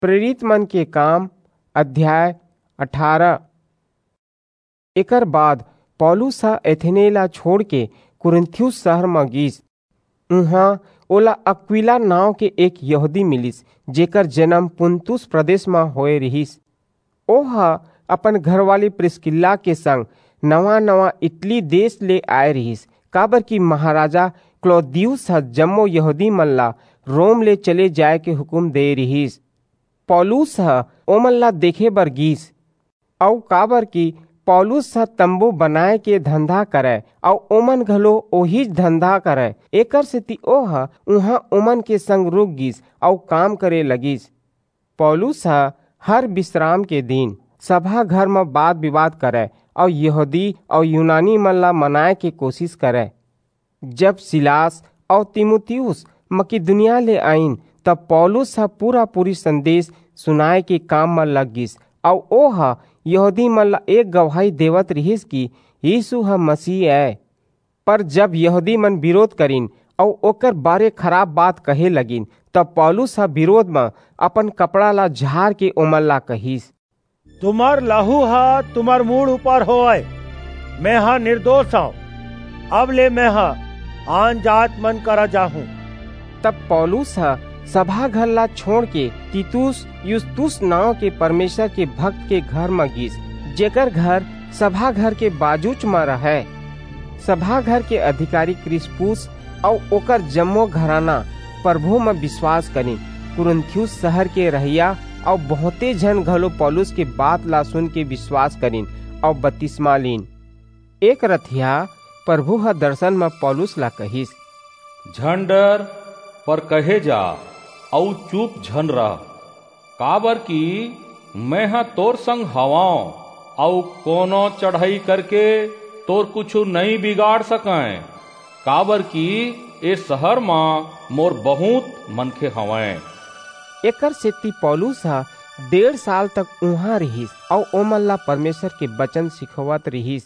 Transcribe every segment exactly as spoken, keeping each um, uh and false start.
प्रेरित मन के काम, अध्याय अठारह। एकर बाद पौलुस ह एथेने ला छोड़ के कुरिन्थियुस शहर म गीस। उहां ओला अक्विला नांव के एक यहूदी मिलिस, जेकर जन्म पुन्तुस प्रदेश म होए रिहिस। ओह अपन घरवाली प्रिस्किल्ला के संग नवा-नवा इटली देश ले आए रिहिस, काबर कि महाराजा क्लौदियुस ह जम्मो यहूदी मन ला रोम ले चले जाए के हुकुम दे रिहिस। पौलुस ह ओमन ला देखे बर गीस, अऊ काबर कि पौलुस ह तंबू बनाए के धंधा करय, अऊ ओमन घलो ओहीच धंधा करय, एकर सेती ओह उहां ओमन के संग रुक गीस अऊ काम करे लगिस। पौलुस ह हर बिसराम के दिन सभा घर म बात-बिवाद करय अऊ यहूदी अऊ यूनानी मन ला मनाय के कोसिस करय। जब सिलास अऊ तीमुथियुस मकिदुनिया ले आईन, तब पौलुस ह पूरा-पूरी संदेस सुनाय के काम म लग गीस, अऊ ओह यहूदी मन ला एक गवाही देवत रिहिस कि यीसू ह मसीह अय। पर जब यहूदी मन बिरोध करिन अऊ ओकर बारे खराप बात कहे लगिन, तब पौलुस ह बिरोध म अपन कपड़ा ला झार के ओमन ला कहिस, "तुम्हर लहू ह तुम्हर मूड़ ऊपर होवय। मेंह निर्दोष हंव। अब ले मेंह आन जात मन करा जाहूं।" तब पौलुस ह सभा घर ला छोड़ के तीतुस युस्तुस नांव के परमेसर के भक्त के घर म गीस, जेकर घर सभा घर के बाजूच म रहय। सभा घर के अधिकारी क्रिस्पुस अऊ ओकर जम्मो घराना परभू म बिसवास करिन। कुरिन्थियुस सहर के रहइया अऊ बहुंते झन घलो पौलुस के बात ला सुन के बिसवास करिन अऊ बतिसमा लीन। एक रतिहा परभू ह दरसन म पौलुस ला कहिस, "झन डर, पर कहे जा, अऊ चुप झन रह, काबर कि मेंह तोर संग हवंव, अऊ कोनो चढ़ई करके तोर कुछू नइं बिगाड़ सकंय, काबर कि ए सहर म मोर बहुंत मनखे हवंय।" एकर सेती पौलुस ह डेढ़ साल तक उहां रिहिस अऊ ओमन ला परमेसर के बचन सिखोवत रिहिस।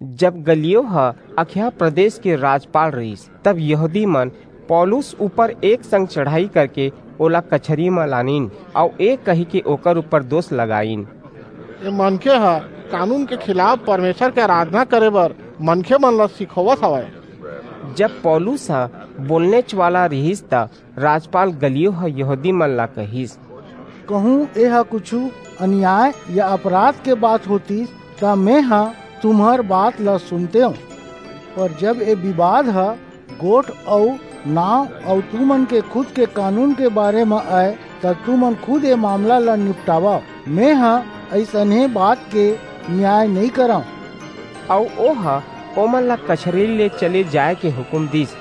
जब गलियो ह अखाया प्रदेस के राजपाल रिहिस, तब यहूदी मन पौलुस ऊपर एक संग चढ़ई करके ओला कचहरी म लानिन अऊ ए कहिके ओकर ऊपर दोस लगाईन, "ए मनखे ह कानून के खिलाफ परमेसर के अराधना करे बर मनखे मन ला सिखोवत हवय।" जब पौलुस ह बोलनेच वाला रिहिस, त राजपाल गलियो ह यहूदी मन ला कहिस, "कहूं एह कुछू अनियाय या अपराध के बात होतिस, त मेंह तुम्हर बात ला सुनतेंव। पर जब ए बिबाद ह गोठ अऊ नांव अऊ तुमन के खुद के कानून के बारे म अय, त तुमन खुद ए मामला ला निपटावव। मेंह अइसनहे बात के नियाय नइं करंव।" अऊ ओह ओमन ला कचहरी ले चले जाय के हुकूम दीस।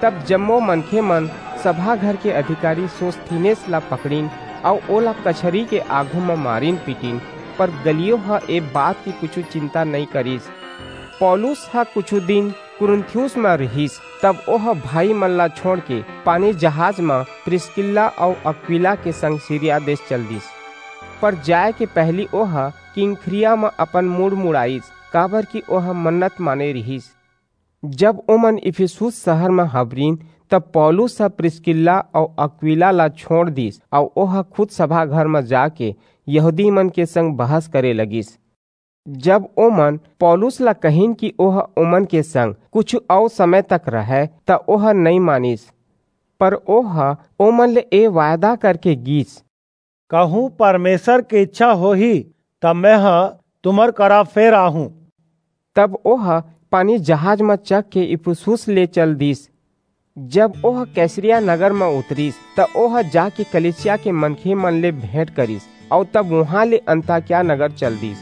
तब जम्मो मनखे मन सभा घर के अधिकारी सोस्थेनेस ला पकड़िन अऊ ओला कचहरी के आघू म मारिन पीटिन, पर गलियो ह ए बात के कुछू चिंता नइं करिस। पौलुस ह कुछू दिन कुरिन्थियुस म रिहिस, तब ओह भाई मन ला छोंड़ के पानी जहाज म प्रिसकिल्ला अऊ अक्विला के संग सीरिया देस चल दीस। पर जाय के पहिली ओह किंख्रिया म अपन मूड़ मुड़ाईस, काबर कि ओह मन्नत माने रिहिस। जब ओमन इफिसुस सहर म हबरिन, तब पौलुस ह प्रिसकिल्ला अऊ अक्विला ला छोंड़ दीस अऊ ओह खुद सभा घर म जाके यहूदी मन के संग बहस करे लगिस। जब ओमन पौलुस ला कहिन कि ओह ओमन के संग कुछू अऊ समय तक रहय, त ओह नइं मानिस। पर ओह ओमन ले ए वायदा करके गीस, "कहूं परमेसर के इच्छा होही, त मेंह तुम्हर करा फेर आहूं।" तब ओह पानी जहाज म चघ के इफिसुस ले चल दीस। जब ओह कैसरिया नगर म उतरिस, त ओह जाके कलीसिया के मनखे मन ले भेंट करिस, अऊ तब उहां ले अंताकिया नगर चल दीस।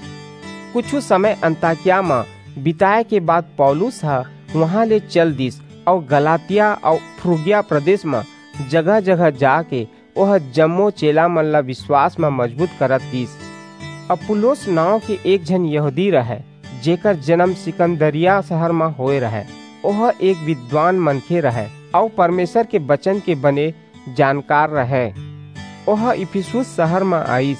कुछू समय अंताकिया म बिताय के बाद पौलुस ह उहां ले चल दीस अऊ गलातिया अऊ फ्रुगिया प्रदेस म जगह-जगह जाके ओह जम्मो चेला मन ला बिसवास म मजबूत करत गीस। अपुल्लोस नांव के एक झन यहूदी रहय, जेकर जनम सिकंदरिया सहर म होय रहय। ओह एक बिद्वान मनखे रहय अऊ परमेसर के बचन के बने जानकार रहय। ओह इफिसुस सहर म आईस।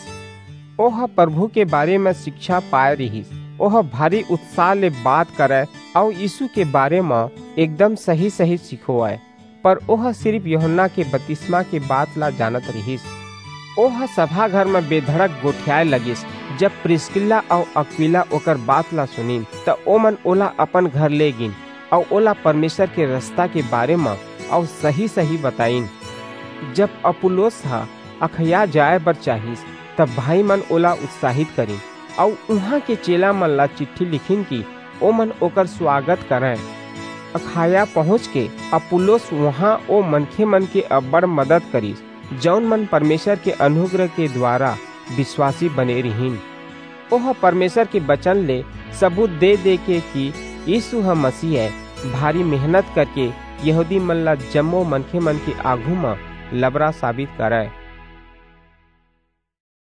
ओह परभू के बारे म सिकछा पाय रिहिस। ओह भारी उत्साह ले बात करय अऊ यीसू के बारे म एकदम सही-सही सिखोवय। पर ओह सिरिप यूहन्ना के बतिसमा के बात ला जानत रिहिस। ओह सभा घर म बेधड़क गोठियाए लगिस। जब प्रिस्किल्ला अऊ अक्विला ओकर बात ला सुनिन, त ओमन ओला अपन घर ले गिन अऊ ओला परमेसर के रसता के बारे म अऊ सही-सही बताईन। जब अपुल्लोस ह अखया जाए बर चाहिस, त भाईमन ओला उत्साहित करिन अऊ उहां के चेलामन ला चिट्ठी लिखिन कि ओमन ओकर सुवागत करंय। अखाया पहुंचके अपुल्लोस उहां ओ मनखेमन के अब्बड़ मदद करिस, जऊन मन परमेसर के अनुग्रह के दुवारा बिसवासी बने रिहिन। ओह परमेसर के बचन ले सबूत दे-दे के कि यीसू ह मसीह अय, भारी मेहनत करके यहूदीमन ला जम्मो मनखेमन के आघू म लबरा साबित करय।